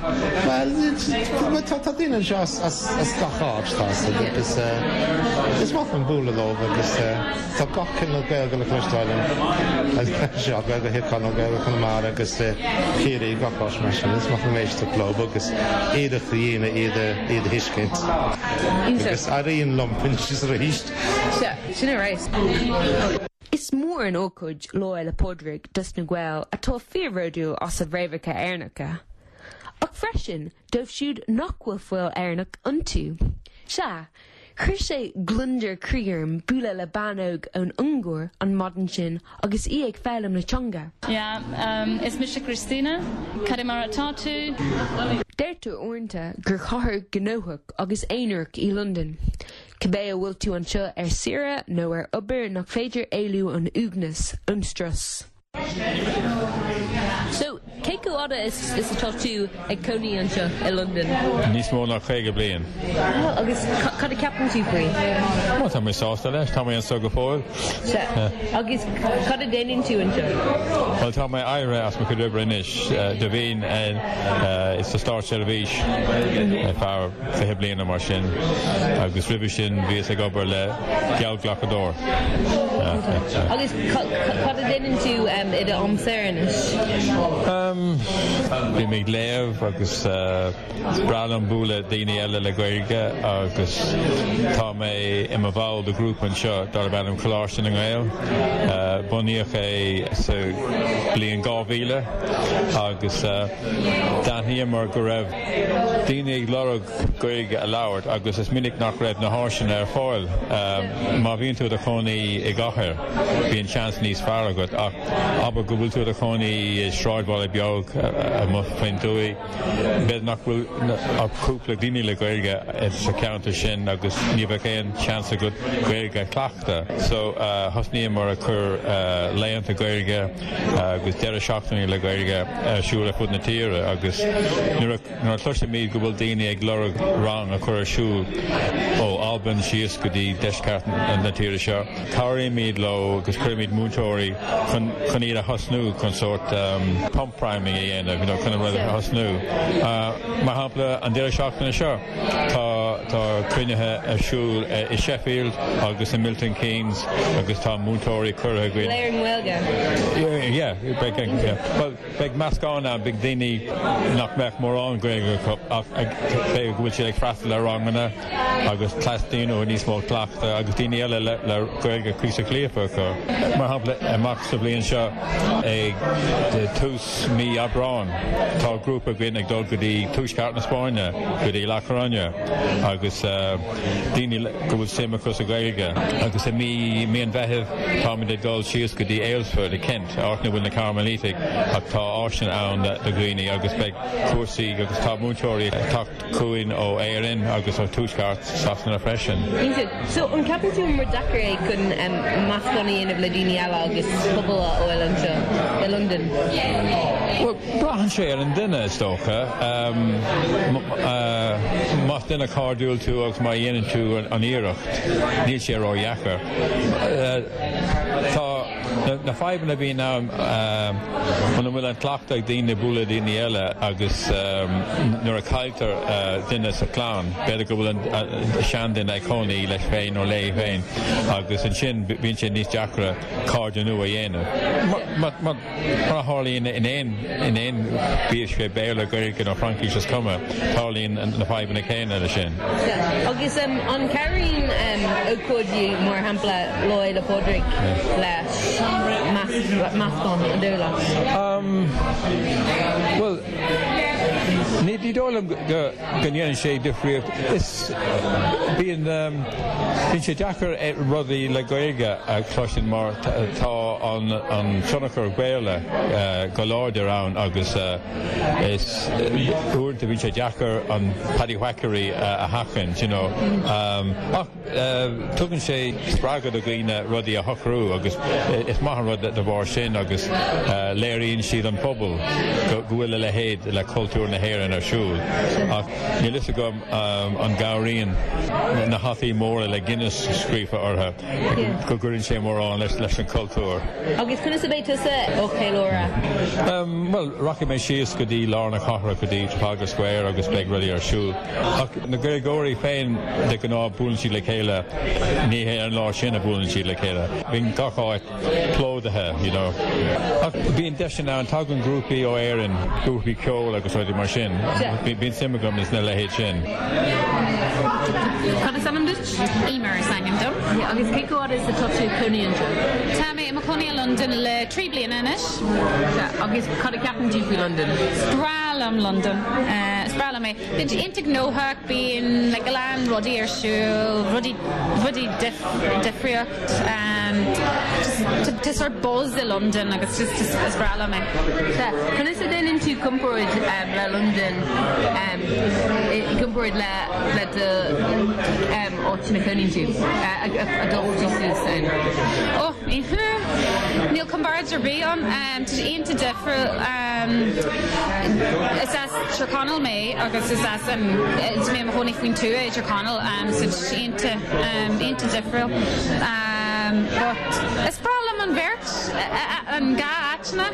Bhuel, tá daoine anseo as gach áit, tá agus is maith liom bualadh leo agus tá gach cineál Gaeilge le cloisteáil anseo, Gaeilge Thír Chonaill, Gaeilge Chonamara agus Chiarraí, gach áit mar sin. Is maith liom éisteacht leo agus iarracht a dhéanamh iad a thuiscint. Agus éiríonn liom anois is arís. Sea, sin a raibh. Is mór an ócáid Lá Fhéile Pádraig dos na Gaeil atá fíorbhródúil as a bhfréamhacha Éireannacha. Ach freisin dóibh siúd nach bhfuil fuil Éireannach iontu. Sea, chuir sé gliondar croí orm bualadh le bean óg ón Ungáir an maidin sin agus í ag foghlaim na teanga. Yeah, is mise Christina. Cad é mar atá tú? Deirtear uaireanta gur chathair ghnóthach agus aonarach í Londain. Cibé an bhfuil tú anseo ar saoire nó ar obair nach féidir éalú ón uaigneas, ón strus. So, cé chomh fhada is atá tú ag cónaí anseo i Londain? Níos mó ná 50 bliain. Agus cad a ceapann tú faoi? Bhuel, tá mé sásta leis, tá mé anseo go fóill. Sea. Agus cad a déanann tú anseo? Bhuel, tá mé éirithe as mo chuid oibre anois. Do bhínn sa státseirbhís ar feadh 20 bliain nó mar sin agus roimhe sin bhíos ag obair le geallghlacadóir. Agus cad a déanann tú i do am saor anois? Bím ag léamh agus is breá liom bualadh daoine eile le Gaeilge agus tá mé i mo bhall de ghrúpa anseo darb ainm Coláiste na nGael. Bunaíodh é sa bhliain 2000 agus d'aithníomar go raibh daoine ag lorg Gaeilge a labhairt agus is minic nach raibh na háiseanna ar fáil. Má bhíonn tú i do chónaí i gcathair, bíonn seans níos fearr agat ach abair go bhfuil tú i do chónaí i sráidbhaile beag amuigh faoin tuath, b'fhéidir nach bhfuil ach cúpla duine le Gaeilge sa cheantar sin agus ní bheadh aon seans agat Gaeilge a chleachtadh. So thosnaíomar ag cur laethanta Gaeilge agus deireadh seachtaine le Gaeilge ar siúl ar fud na tíre agus nuair a chloisimid go bhfuil daoine ag lorg rang a chur ar siúl ó Albain síos go dtí deisceart na tíre seo, cabhraímid leo agus cuirimid múinteoirí chun chun iad a thosnú chun sórt pump priming a dhéanamh, you know, chun an rud a thosnú. Mar shampla, an deireadh seachtaine seo, Tá tá cruinnithe ar siúl i Sheffield agus i Milton Keynes agus tá múinteoirí curtha againn. Go léir i nGaeilge? Yeah, beidh yeah. Bhuel, beidh meascán ann, beidh daoine nach mbeadh mórán Gaeilge acu ach b'fhéidir go bhfuil siad ag freastal ar ranganna agus teastaíonn uathu níos mó cleachtaidh agus daoine eile le le Gaeilge cuíosach líofa acu. Mar shampla, amach sa bhliain seo ag tús. mí Aibreáin tá grúpa againn ag dul go dtí tuaisceart na Spáinne, go dtí La Coruña agus daoine go bhfuil suim acu sa Ghaeilge. Agus i mí mí an Mheithimh táimid ag dul síos go dtí Aylesford i Kent, áit ina bhfuil na Cairmilítigh ach tá áiseanna ann do dhaoine agus beidh cúrsaí agus tá múinteoirí ag teacht chugainn ó Éirinn agus ó Tuaisceart Sasana freisin. Iontach. So, an ceapann tú gur deacair é chun meascán a dhéanamh le daoine eile agus pobal a fháil anseo i Londain? Bhuel, braitheann sé ar an duine, is dócha. Más duine cairdiúil tú agus má dhéanann tú an iarracht, níl sé ródheacair. Tá. Na fadhbanna a bhíonn ann muna bhfuil an cleachtadh ag daoine bualadh le daoine eile agus nuair a cailltear duine sa chlann, b'fhéidir go bhfuil an seanduine ag cónaí leis féin nó léi féin agus ansin bíonn sé níos deacra cairde nua a dhéanamh. Mar a tharlaíonn in aon, in aon, bíodh sé Béarla, Gaeilge nó Fraincis is cuma, tarlaíonn na fadhbanna céanna leis sin. Agus an cabhraíonn ócáidí mar shampla Lá Fhéile Pádraig le meascán, an dóigh leat? Bhuel, ní dóigh liom go ndéanann sé difríocht. Is, bíonn, bíonn sé deacair rudaí le Gaeilge a chloisint mar tá an tionchar Béarla go láidir ann agus is uaireanta bíonn sé deacair an paddywhackery a sheachaint, you know. Ach Tugann sé spreagadh do dhaoine rudaí a shocrú agus is maith an rud de bharr sin agus léiríonn siad don phobal go bhfuil a leithéid le cultúr na hÉireann ar siúl. Ach níl fhios agam an gcabhraíonn na hataí móra le Guinness scríofa orthu go gcuireann sé mórán leis an chultúr. Agus conas a bheidh tusa á cheiliúradh? Bhuel, rachaidh mé síos go dtí lár na cathrach, go dtí Trafalgar Square agus beidh rudaí ar siúl. Ach na Gaeilgeoirí féin, de ghnáth, buaileann siad le chéile, ní hé an lá sin a bhuaileann siad le chéile. Bíonn gach áit plódaithe, you know. Ach bíonn deiseanna ann, tagann grúpaí ó Éirinn, grúpaí ceoil agus rudaí mar sin. Bíonn suim agam sna leithéid sin. Cad is ainm duit? Emer is ainm dom. Agus cé chomh fada is atá tú ag cónaí anseo? Tá mé i mo chónaí i Londain le 3 bliana anois. Agus cad a cheapann tú faoi Londain? Is breá liom Londain. Is breá liom é. Bíonn sé iontach gnóthach, bíonn like a lán rudaí ar siúl, rudaí, rudaí difríocht. Just tá sort buzz i Londain agus just is breá liom é. Sea. Conas a dhéanann tú comparáid le Londain i gcomparáid le le do áit ina chónaíonn tú, a d'fhás tú suas ann? Oh, níl comparáid ar bith ann. Tá sé iontach difriúil. Is as Tír Chonaill mé agus is as tá mé i mo chónaí faoin tuath i dTír Chonaill so tá sé iontach iontach difriúil. But is breá liom an bheirt, an dhá áiteanna.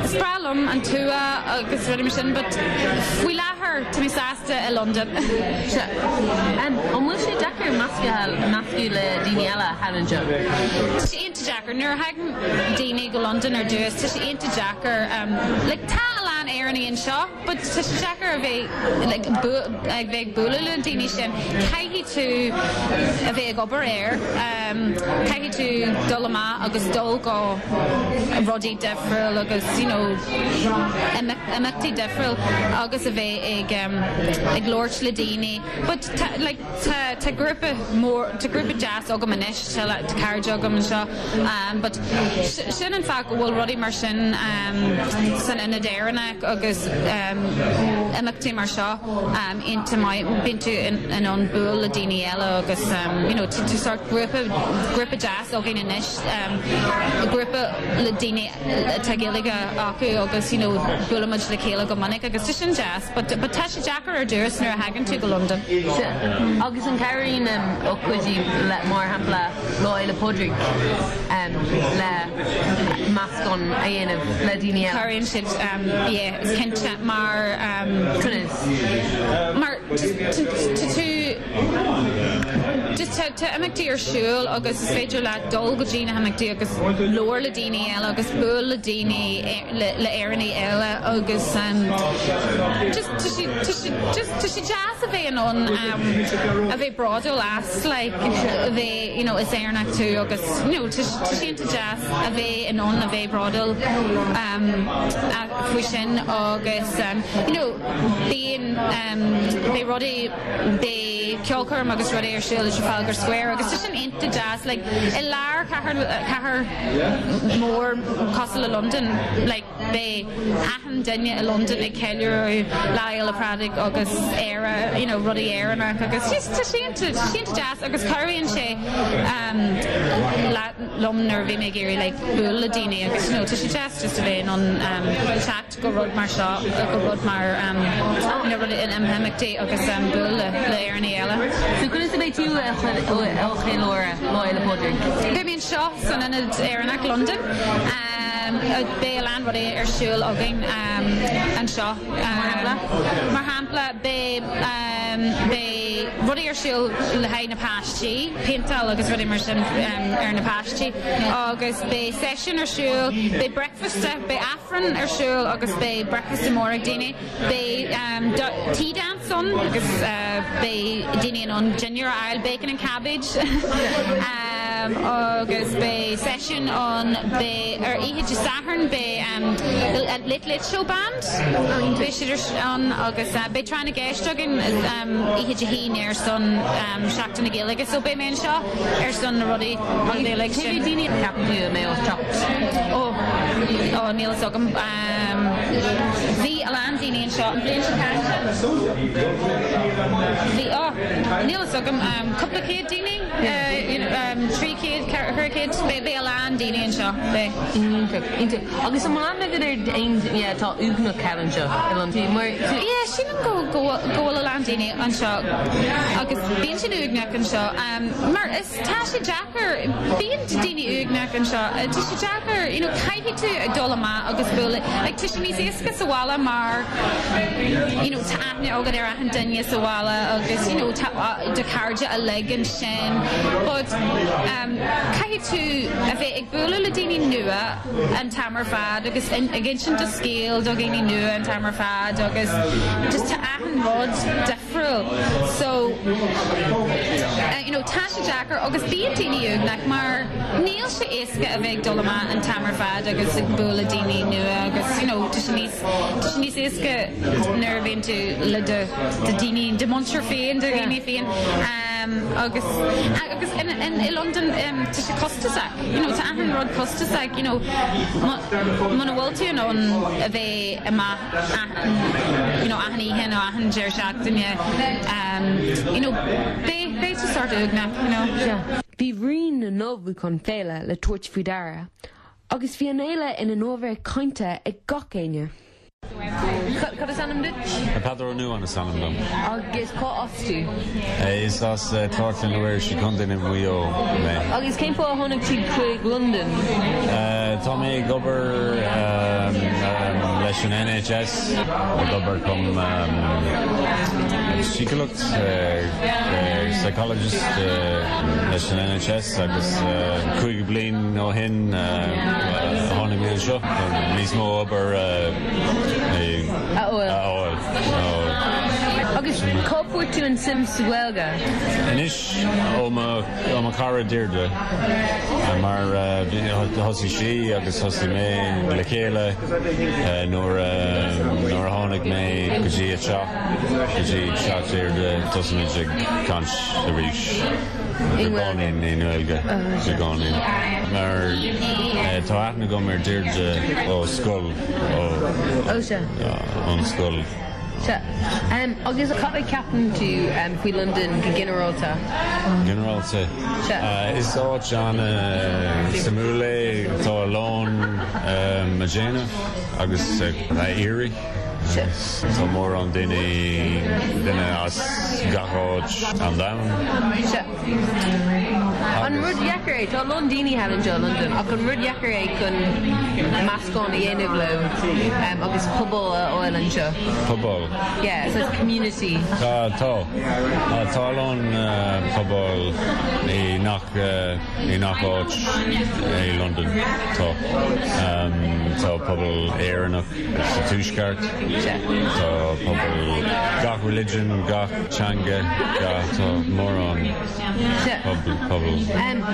Is breá liom an tuath agus rudaí mar sin but faoi láthair tá mé sásta i Londain. Sea. An bhfuil sé deacair meascadh le daoine eile thall anseo? Tá sé iontach deacair. Nuair a thagann daoine go Londain ar dtús, tá sé iontach deacair. Like, tá a lán Éireannaigh anseo, but tá sé deacair a bheith like, ag bheith ag bualadh le na daoine sin. Caithfidh tú a bheith ag obair air. Caithfidh tú dul amach agus dul go rudaí difriúil agus, you know, imeachtaí difriúil agus a bheith ag ag labhairt le daoine. But tá, like, Tá tá grúpa mór tá grúpa deas agam anois tá tá cairde agam anseo but sin an fáth go bhfuil rudaí mar sin san Ionad Éireannach agus imeachtaí mar seo iontach maith bíonn tú in ann bualadh le daoine eile agus you know tá sort grúpa grúpa deas againn anois grúpa le daoine atá Gaeilge acu agus you know buailimid le chéile go minic agus tá sin deas but but tá sé deacair ar dtús nuair a thagann tú go Londain. Sea. Agus an cabhraíonn ócáidí le mar shampla Lá Fhéile Pádraig le meascán a dhéanamh le daoine eile? Cabhraíonn siad yeah is cinnte mar Conas? Mar tá tú. just tá tá imeachtaí ar siúl agus is féidir leat dul go dtí na himeachtaí agus labhair le daoine eile agus buail le daoine le le Éireannaigh eile agus just tá sé tá sé just tá sé deas a bheith in ann a bheith bródúil as like a bheith you know is Éireannach tú agus you know tá tá sé iontach deas a bheith in ann a bheith bródúil faoi sin agus you know bíonn beidh rudaí beidh ceolchoirm agus rudaí ar siúl i Trafalgar Square agus tá sin iontach deas like i lár cathair cathair mór cosúil le Londain like beidh achan duine i Londain ag ceiliúradh Lá Fhéile Pádraig agus Éire you know rudaí Éireannach agus just tá sé iontach tá sé iontach deas agus cabhraíonn sé liom nuair a bhí mé ag iarraidh like bualadh le daoine agus you know tá sé deas just a bheith in ann teacht go rud mar seo go rud mar you know rud in imeachtaí agus bualadh le le Éireannaigh eile. So conas a bheidh tú ag ceiliúradh Lá Fhéile Pádraig? Beidh mé anseo san Ionad Éireannach Londain. Beidh a lán rudaí ar siúl againn anseo. Mar shampla? Mar shampla beidh beidh rudaí ar siúl le haghaidh na páistí, péinteáil agus rudaí mar sin ar na páistí agus beidh seisiún ar siúl, beidh bricfeasta, beidh Aifreann ar siúl agus beidh bricfeasta mór ag daoine. Beidh tea dance ann agus beidh daoine in ann dinnéar a fháil, bacon and cabbage agus beidh seisiún ann, beidh ar oíche Dé Sathairn beidh Late Late Show Band, beidh siad ann agus beidh tráth na gceist againn oíche Dé hAoine ar son Seachtain na Gaeilge so beidh mé anseo ar son na rudaí uilig sin. Cé mhéad daoine a cheapann tú a mbeidh ag teacht? Ó, ó níl fhios agam. Bhí a lán daoine anseo an bhliain seo caite. Bhí, ó, níl fhios agam, cúpla céad daoine, 300, 400, beidh a lán daoine anseo, beidh. Iontach, iontach. Agus an bhfuil aithne agat ar aon duine atá uaigneach thall anseo i Londain? Mar. Yeah, sílim go bhfuil a lán daoine anseo agus bíonn siad uaigneach anseo mar is tá sé deacair, bíonn daoine uaigneach anseo, tá sé deacair, you know, caithfidh tú dul amach agus bualadh, like tá sé níos éasca sa bhaile mar you know tá aithne agat ar achan duine sa bhaile agus you know tá do chairde uilig ansin but caithfidh tú a bheith ag bualadh le daoine nua an t-am ar fad agus ag insint do scéal do dhaoine nua an t-am ar fad agus just tá achan rud difriúil so you know tá sé deacair agus bíonn daoine uaigneach mar níl sé éasca a bheith ag dul amach an t-am ar fad agus ag bualadh daoine nua agus you know tá sé níos tá sé níos éasca nuair a bhíonn tú le do do daoine do mhuintir féin do dhaoine féin agus agus in in i Londain tá sé costasach you know tá achan rud costasach you know muna bhfuil tú in ann a bheith amach achan you know achan oíche nó achan deireadh seachtaine you know beidh beidh tú sort uaigneach you know. Bhí rian na n-ullmhúchán féile le tabhairt faoi deara agus bhí an fhéile ina n-ábhar cainte ag gach éinne. Cad is ainm duit? Peadar Ó Nuadháin is ainm dom. Agus cá as tú? Is as Ceartlann na bhFuirseach i gContae na Mhaigh Eo mé. Agus cén fáth a tháinig tú chuig Londain? Tá mé ag obair leis an NHS, ag obair chun síceolaíocht, psychologist leis an NHS agus 5 bliain ó shin tháinig mé anseo chun níos mó obair a fháil. Agus cá bhfuair tú an suim sa Ghaeilge? Anois ó mo chara Deirdre mar thosaigh sí agus thosaigh mé le chéile nuair a tháinig mé go dtí a teach, go dtí teach Deirdre, thosaigh muid ag caint arís i gcónaí i nGaeilge i gcónaí mar tá aithne agam ar Deirdre ó scoil ón scoil. Sea. Agus cad a cheapann tú faoi Londain go ginearálta? Ginearálta? Sea. Is áit an-suimiúil é. Tá a lán a déanamh agus a iarraidh. Sea. Tá mórán daoine, duine as gach áit an domhan. Sea. An rud dheacair é, tá a lán daoine thall anseo i Londain, ach an rud dheacair é chun meascán a dhéanamh leo agus pobal a fháil anseo? Pobal? Yeah, so it's community. Tá, tá. Tá a lán pobal i ngach, i ngach áit i Londain. Tá. Tá pobal Éireannach sa Tuaisceart, tá pobal gach religion, gach teanga, gach, tá mórán. Pobal.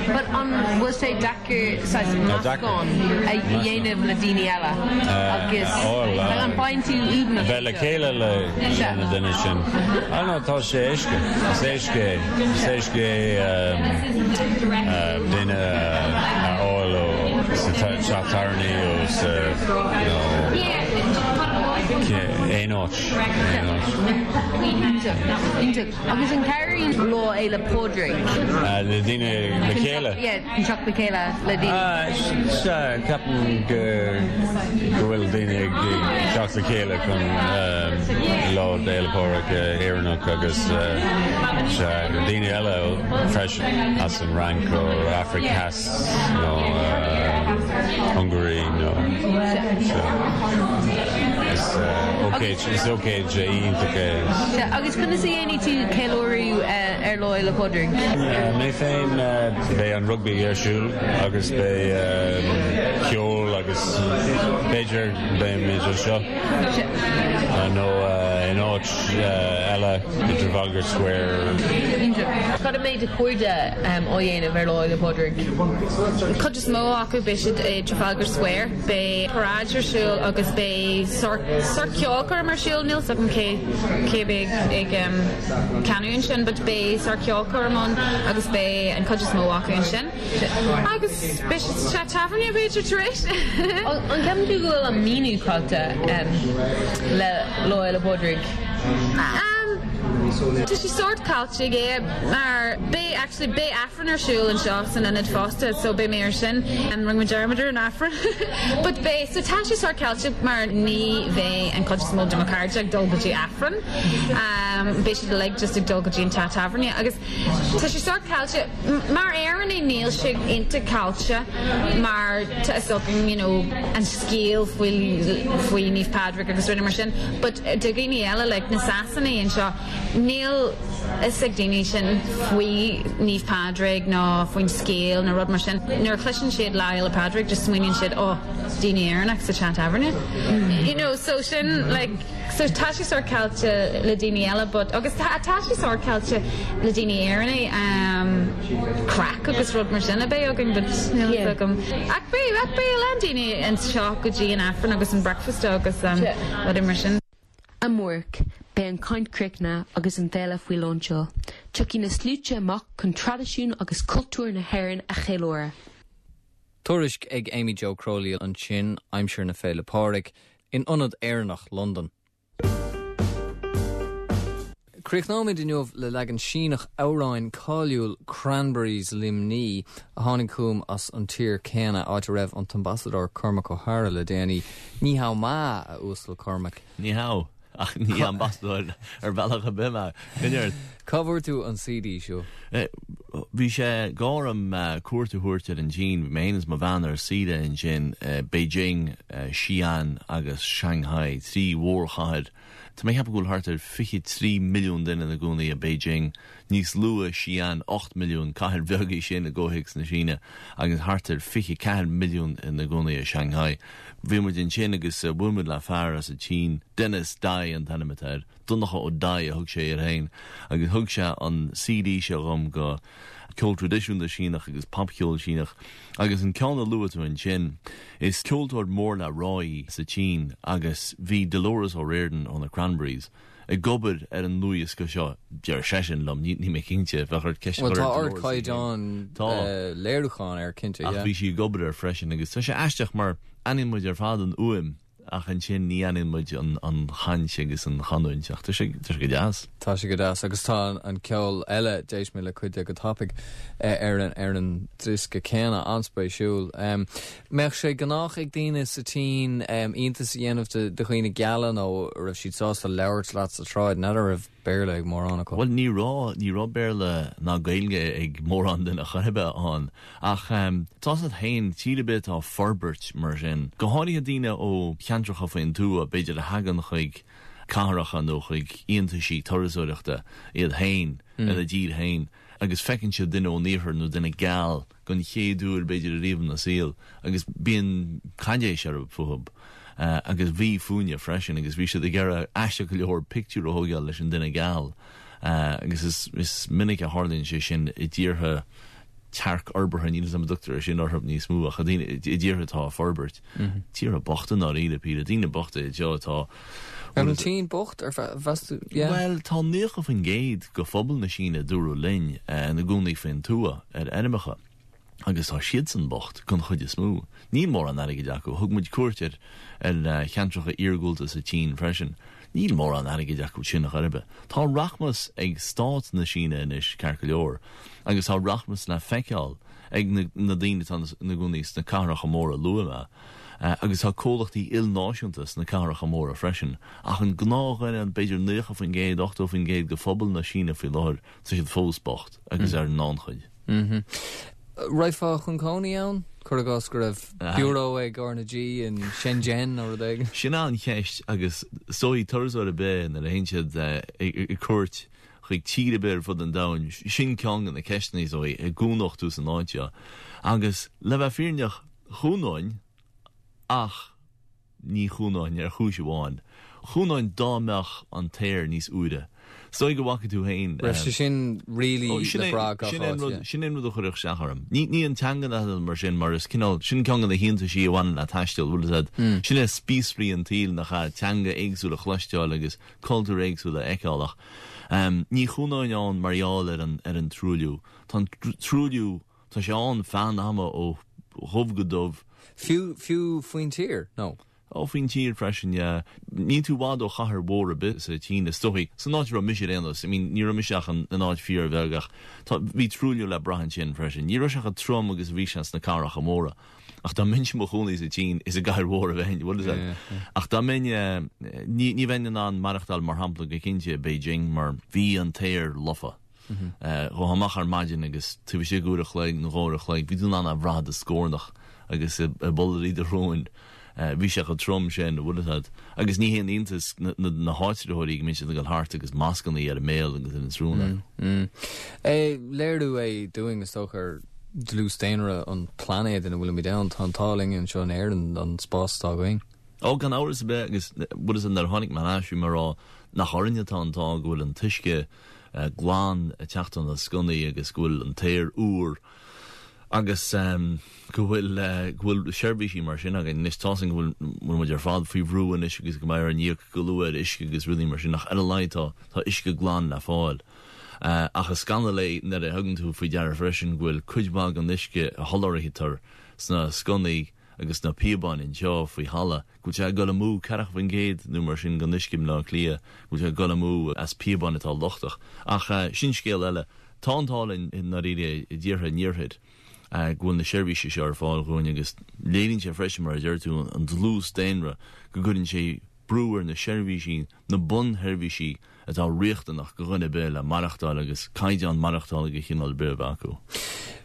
But an bhfuil sé deacair saghas meascán a dhéanamh le daoine eile agus an bhfaigheann tú uaigneas? Bheith le chéile le na daoine sin. Ah no, tá sé éasca. Is éasca é. Is éasca é duine a fháil ó sa teach tábhairne ó sa you know aon áit. Aon áit. Iontach. Agus an cabhraíonn Lá Fhéile Pádraig? Le daoine le chéile? Yeah, teacht le chéile le daoine. Sea, ceapaim go bhfuil daoine ag teacht le chéile chun Lá Fhéile Pádraig Éireannach agus sea, daoine eile freisin as an Fhrainc ó Afraic Theas nó Hungary nó sea. Is ócáid, is ócáid iontach é. Sea, agus conas a dhéanfaidh tú ceiliúradh ar Lá Fhéile Pádraig? Mé féin, beidh an rugbaí ar siúl agus beidh ceol agus b'fhéidir beimid anseo nó in áit eile i Trafalgar Square. Cad a mbeidh do chairde á dhéanamh ar Lá Fhéile Pádraig? Cuid is mó acu beidh siad i Trafalgar Square. Beidh paráid ar siúl agus beidh sórt ceolchoirm ar siúl, níl 's agam cé cé beidh ag canadh ansin but beidh sórt ceolchoirm ann agus beidh an chuid is mó acu ansin. Agus beidh siad sa teach tábhairne b'fhéidir tar éis. An gceapann tú go bhfuil an míniú caillte le Lá Fhéile Pádraig? Tá sé sórt caillte yeah mar beidh actually beidh Aifreann ar siúl anseo san ionad fosta so beidh mé ar sin. Rinne mé dearmad ar an Aifreann but beidh so tá sé sórt caillte mar ní bheidh an chuid is mó de mo chairde ag dul go dtí Aifreann. Beidh siad uilig just ag dul go dtí an teach tábhairne agus tá sé sórt caillte. Mar Éireannaigh níl sé iontach caillte mar tá fhios againn you know an scéal faoi faoi Naomh Pádraig agus rudaí mar sin but do dhaoine eile like na Sasanaigh anseo níl fhios ag daoine sin faoi Naomh Pádraig nó faoin scéal nó rud mar sin. Nuair a chloiseann siad Lá Fhéile Pádraig just smaoiníonn siad oh daoine Éireannach sa teach tábhairne. You know so sin like so tá sé sórt caillte le daoine eile but agus tá tá sé sórt caillte le daoine Éireannaigh um craic agus rud mar sin a bheith againn but níl fhios agam. Ach beidh ach beidh a lán daoine anseo go dtí an Aifreann agus an breakfast agus um rudaí mar sin. Amárach, beidh an chaint críochnaithe agus an féile faoi lánseol. Tiocfaidh na sluaite amach chun traidisiún agus cultúr na hÉireann a cheiliúradh. Tuairisc ag Amy Jo Crowley ansin, aimsir na Féile Pádraig, in Ionad Éireannach Londan. Críochnóimid inniu le leagan Síneach amhráin cáiliúil Cranberries Luimní, a tháinig chugam as an tír céanna, áit a raibh an tAmbasadóir Cormac Ó hEadhra le déanaí. Ní hao ma, a Uasal Cormac. Ní hao, ach ní ambasadóir ar bhealach ar bith mé. Coinnigh ort. Cá bhfuair tú an CD seo? Bhí sé go orm cuairt a thabhairt ar an tSín. Bhí mé féin is mo bhean ar saoire ansin, Beijing, Xi'an agus Shanghai, trí mhórchathair Tá mé ag ceapadh go bhfuil thart ar 23 milliún duine ina gcónaí i Beijing, níos lú i Xi'an, 8 milliún, cathair bheag í sin i gcomhthéacs na Síne, agus thart ar 24 milliún ina gcónaí i Shanghai. Bhí muid ansin agus bhuail muid le fear as an tSín, Dennis Dai an t-ainm atá air, Donncha Ó Dai a thug sé air féin, agus thug sé an CD seo dhom de ceol traidisiúnta Síneach agus popcheol Síneach. Agus an ceann a luaigh tú ansin, is ceoltóir mór le rá í sa tSín agus bhí Dolores O'Riordan ó na Cranberries ag obair ar an ndlúthdhiosca seo, deir seisean liom, níl mé cinnte, bheadh ort ceist a chur ar Bhuel, tá ardchaighdeán léiriúcháin air, cinnte, yeah. Ach bhí sí ag obair air freisin agus tá sé aisteach mar aithníonn muid ar fad an fhuaim. Ach ansin ní aithníonn muid an chaint agus an chanúint ach tá sé go deas. Tá sé go deas agus tá an ceol eile, d'éist mé le cuid de go tapaidh, ar an diosca céanna, an-spéisiúil. Mbeadh sé gnách ag daoine sa tSín iontas a dhéanamh de dhaoine geala nó raibh siad sásta labhairt leat sa tsráid, n'fheadar raibh. Béarla ag mórán acu. Bhuel, ní raibh, ní raibh Béarla ná Gaeilge ag mórán duine chor ar bith ann. Ach tá a fhios agat féin, tír ar bith atá ag forbairt mar sin, go háirithe daoine ó cheantracha faoin tuath, b'fhéidir a thagann chuig cathracha nó chuig iontaisí turasóireachta iad féin, ina dtír féin, agus feiceann siad duine ón iarthar nó duine geal don chéad uair b'fhéidir ariamh ina saol agus bíonn caidéis orthu fúthu agus bhí fúinne freisin agus bhí siad ag iarraidh aisteach go leor pictiúr a thógáil leis an duine geal agus is is minic a tharlaíonn sé sin i dtíortha tearcfhorbartha, níl a fhios agam an dtugtar é sin orthu níos mó ach i dtíortha atá ag forbairt. Tíortha bochta i ndáiríre píre, daoine bochta iad seo atá. An tSín bocht ar mheas tú? Yeah. Bhuel, tá 90% de phobal na Síne, dúradh linn, ina gcónaí faoin tuath, ar fheirmeacha. Agus tá siadsan bocht, den chuid is mó. Níl mórán airgid acu. Thug muid cuairt ar ar cheantracha iargúlta sa tSín freisin. Níl mórán airgid acu sin chor ar bith. Tá rachmas ag stát na Síne anois, ceart go leor, agus tá rachmas le feiceáil ag na daoine atá ina gcónaí sna cathracha móra a luaigh mé, agus tá comhlachtaí ilnáisiúnta sna cathracha móra freisin. Ach an gnáthdhuine, b'fhéidir 90%, 80% de phobal na Síne faoi láthair, tá siad fós bocht agus ar an ngannchuid. Raghfá chun cónaí ann? Cuir i gcás go raibh biúró ag R na G in Shenzhen nó rud éigin. Sin an cheist agus is dóigh turasóir ar bith nuair a théann siad ar cuairt chuig tír ar bith ar fud an domhain, sin ceann de na ceisteanna is dóigh, an gcónódh tú san áit seo. Agus le bheith fírinneach, chónóinn ach ní chónóinn ar chúis amháin. Chónóinn dá mbeadh an t-aer níos úire. Is dóigh go bhfaca tú féin. Raibh sé sin really le brath gach áit, yeah. Sin é an rud a chuirfeadh isteach orm. Ní an teanga ná mar sin, mar is cineál, sin ceann de na hiontaisí a bhaineann le taisteal, bhfuil a fhios agat. Sin é spíosraí an tsaoil nach ea, teanga éagsúil a chloisteáil agus cultúir éagsúla a fheiceáil ach ní chónóinn ann mar gheall ar an ar an truailliú. Tá an truailliú, tá sé ann feadh an ama ó dhubh go dubh. Fiú, fiú faoin tír, nó? Ó, faoin tír freisin, yeah. Níl tú i bhfad ó chathair mhór ar bith sa tSín, is dóigh, san áit a raibh mise ar aon nós. I mean, ní raibh mise ach in áit fíorbheag ach tá, bhí truailliú le brath ansin freisin. Ní raibh sé chomh trom agus a bhí sé sna cathracha móra. Ach dá mbeinnse i mo chónaí sa tSín, is i gcathair mhór a bheinn, bhfuil a fhios agat. Ach dá mbeinn, ní, ní bheinn in ann maireachtáil, mar shampla, go cinnte i Beijing, mar bhí an t-aer lofa. Ghabhfá amach ar maidin agus taobh istigh d'uair a chloig nó dhá uair a chloig, bhí tú in ann é a bhrath i do scornach agus i bpollairí do shróin. Bhí sé chomh trom sin, bhfuil a fhios agat. Agus ní haon iontas na, na, na háitritheoirí go mbíonn siad ag dul thart agus mascannaí ar a mbéal agus ar an srón acu. Léiriú é dúinn, is dócha, ar dlús daonra an phláinéid ina bhfuilimid ann. Tá an t-ádh linn anseo in Éirinn an spás atá againn. Ó, gan amhras ar bith, agus bhfuil a fhios agat nuair a tháinig mé ar ais, bhí mé ag rá nach orainne atá an t-ádh go bhfuil an t-uisce glan ag teacht ó na sconnaí agus go bhfuil an t-aer úr agus go bhfuil go bhfuil seirbhísí mar sin againn. Anois tá a fhios againn go bhfuil bhfuil muid ar fad faoi bhrú anois agus go mbeidh orainn íoc go luath ar uisce agus rudaí mar sin ach ar a laghad tá tá uisce glan le fáil. Ach is scannal é nuair a thugann tú faoi deara freisin go bhfuil cuid mhaith den uisce a sholáthraítear sna sconnaí agus sna píobáin anseo faoi thalamh, go bhfuil sé ag dul amú, 40% nó mar sin den uisce i mBleá Cliath, go bhfuil sé ag dul amú as píobáin atá lochtach. Ach sin scéal eile. Tá an t-ádh linn i ndáiríre i dtíortha an iarthair go bhfuil na seirbhísí seo ar fáil dhúinn agus léiríonn sé freisin, mar a deir tú, an dlús daonra, go gcuireann sé brú ar na seirbhísí, na bunsheirbhísí atá riachtanach do dhuine ar bith le maireachtáil agus caighdeán maireachtála de chineál ar bith a bheith acu.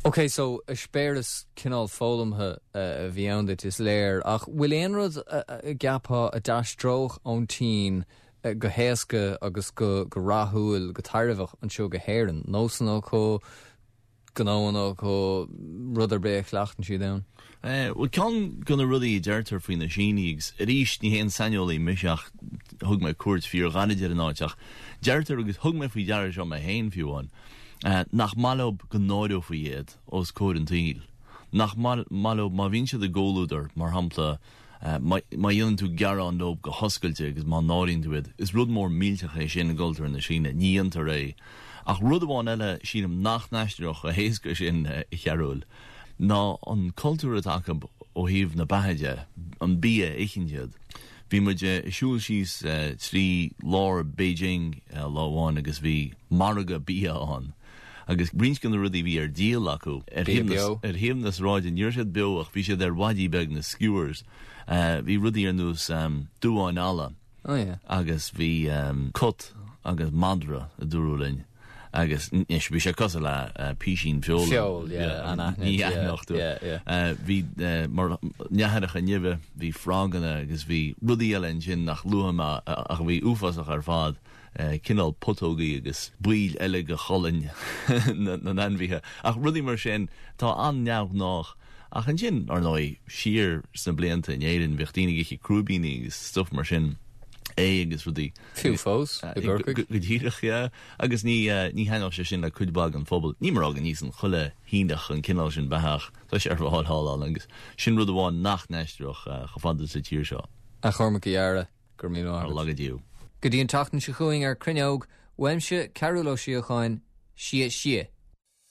Ok, so eispéireas cineál foghlamtha a bhí ann duit, is léir, ach bhfuil aon rud a gceapfá a d'aistreodh ón tSín go héasca agus go rathúil, go tairbheach anseo go hÉirinn? Nósanna acu, gnóanna acu, rud ar bith a chleachtann siad ann? Bhuel, ceann de na rudaí a deirtear faoi na Sínigh, agus arís ní haon saineolaí mise ach thug mé cuairt fíorghairid ar an áit, ach deirtear, agus thug mé faoi deara seo mé féin fiú amháin, nach maith leo go náireofaí iad os comhair an tsaoil. Nach maith leo má bhíonn siad i gcomhluadar, mar shampla, Má dhéanann tú gearán leo go hoscailte agus má náiríonn tú iad, is rud mór millteach é sin i gcultúr na Síne. Ní dhéantar é. Ach rud amháin eile, sílim, nach n-aistreodh chomh héasca sin, a Chearúil, ná an cultúr atá acu ó thaobh na beatha de, an bia a itheann siad. Bhí muid ag siúl síos trí lár Beijing lá amháin agus bhí margadh bia ann. Agus roinnt de na rudaí a bhí ar díol acu ar thaobh na sráide, ní raibh siad beo ach bhí siad ar mhaidí beag, na skewers. Bhí rudaí ar nós duáin alla agus bhí cut. agus madra, a dúradh linn. Agus anois, bhí sé cosúil le písín feola. Feoil, yeah, anaithnid, Ní aithneodh tú. yeah, yeah. Bhí, mar neathaireacha nimhe, bhí froganna agus bhí rudaí eile ansin nach luafaidh mé ach a bhí uafásach ar fad, cineál putógaí agus baill eile de cholainn na n-ainmhithe. Ach rudaí mar sin atá an-neamhghnách. Ach ansin, ar ndóigh, siar sna blianta in Éirinn, bhíodh daoine ag ithe crúibíní agus stuff mar sin, ae agus rudaí. Fiú fós, i gCorcaigh. Go díreach, yeah. Agus ní, ní thaitneodh sé sin le cuid mhaith den phobal. Ní mar go n-íosann chuile Shíneach an cineál sin beatha ach tá sé ar fáil thall ann agus sin rud amháin nach n-aistreodh chomh fada sa tír seo. A Chormaic, a fheara, go raibh míle maith agat. Ar laga Dia. Go dtí an tseachtain seo chugainn ar Cruinneog, uaimse, Cearúll Ó Síocháin, xie xie.